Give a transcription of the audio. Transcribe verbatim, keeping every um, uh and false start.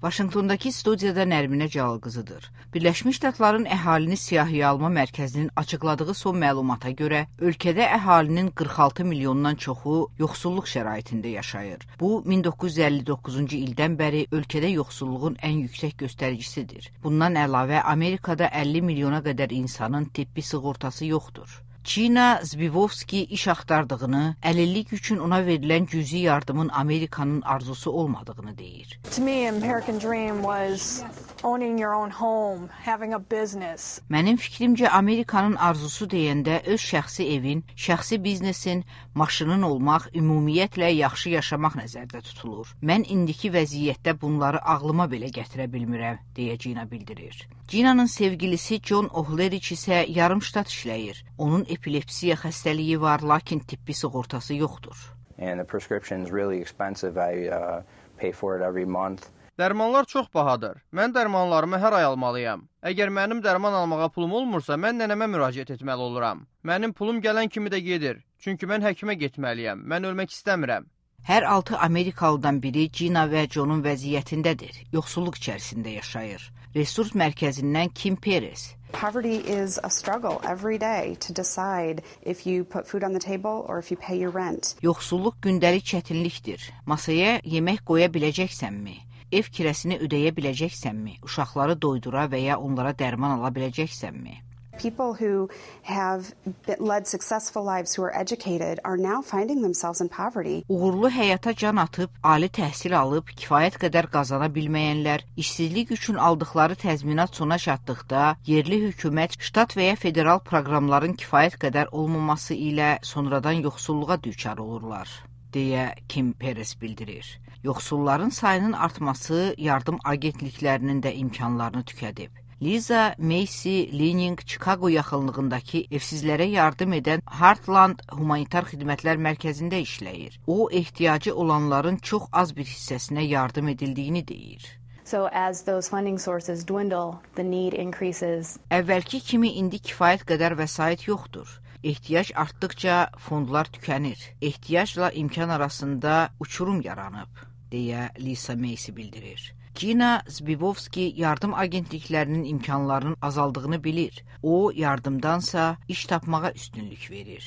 Vaşinqtondakı studiyada Nərminə Cəlal-qızıdır. Birləşmiş Ştatların əhalini siyahıya alma mərkəzinin açıqladığı son məlumata görə, ölkədə əhalinin qırx altı milyondan çoxu yoxsulluq şəraitində yaşayır. Bu, min doqquz yüz əlli doqquzuncu ildən bəri ölkədə yoxsulluğun ən yüksək göstəricisidir. Bundan əlavə, Amerikada əlli milyona qədər insanın tibbi sığortası yoxdur. Gina Zbivovski iş axtardığını, əlillik üçün ona verilən cüzi yardımın Amerikanın arzusu olmadığını deyir. To me, American dream was owning your own home, having a business. Mənim fikrimcə Amerikanın arzusu deyəndə öz şəxsi evin, şəxsi biznesin, maşının olmaq, ümumiyyətlə yaxşı yaşamaq nəzərdə tutulur. Mən indiki vəziyyətdə bunları ağlıma belə gətirə bilmirəm, deyə Gina bildirir. Gina'nın sevgilisi John O'Hlerich isə yarım ştat işləyir. Onun epilepsiya xəstəliyi var, lakin tibbi sığortası yoxdur. And the prescription's really expensive. I uh, pay for it every month. Dərmanlar çox bahadır. Mən dərmanlarımı hər ay almalıyam. Əgər mənim dərman almağa pulum olmursa, mən nənəmə müraciət etməli oluram. Mənim pulum gələn kimi də gedir. Çünki mən həkimə getməliyəm. Mən ölmək istəmirəm. Hər altı Amerikalıdan biri Gina və John'un vəziyyətindədir. Yoxsulluq içərisində yaşayır. Resurs mərkəzindən Kim Perez. Poverty is a struggle every day to decide if you put food on the table or if you pay your rent. Yoxsulluq gündəlik çətinlikdir. Masaya yemək qoya biləcəksənmi? Ev kirəsini ödəyə biləcəksənmi? Uşaqları doydura və ya onlara dərman ala biləcəksənmi? People who have led successful lives who are educated are now finding themselves in poverty. Uğurlu həyata can atıb, ali təhsil alıb, kifayət qədər qazana bilməyənlər, işsizlik üçün aldıqları təzminat sona çatdıqda, yerli hökumət, ştat və ya federal proqramların kifayət qədər olmaması ilə sonradan yoxsulluğa düçar olurlar, deyə Kim Perez bildirir. Yoxsulların sayının artması yardım agentliklərinin də imkanlarını tükədib. Liza Macy Lening Chicago yaxınlığındakı evsizlərə yardım edən Heartland Humanitar Xidmətlər Mərkəzində işləyir. O, ehtiyacı olanların çox az bir hissəsinə yardım edildiyini deyir. So as those funding sources dwindle, the need increases. Əvvəlki kimi indi kifayət qədər vəsait yoxdur. Ehtiyac artdıqca fondlar tükənir. Ehtiyacla imkan arasında uçurum yaranıb, deyə Lisa Macy bildirir. Gina Zbivovski yardım agentliklərinin imkanlarının azaldığını bilir. O, yardımdansa iş tapmağa üstünlük verir.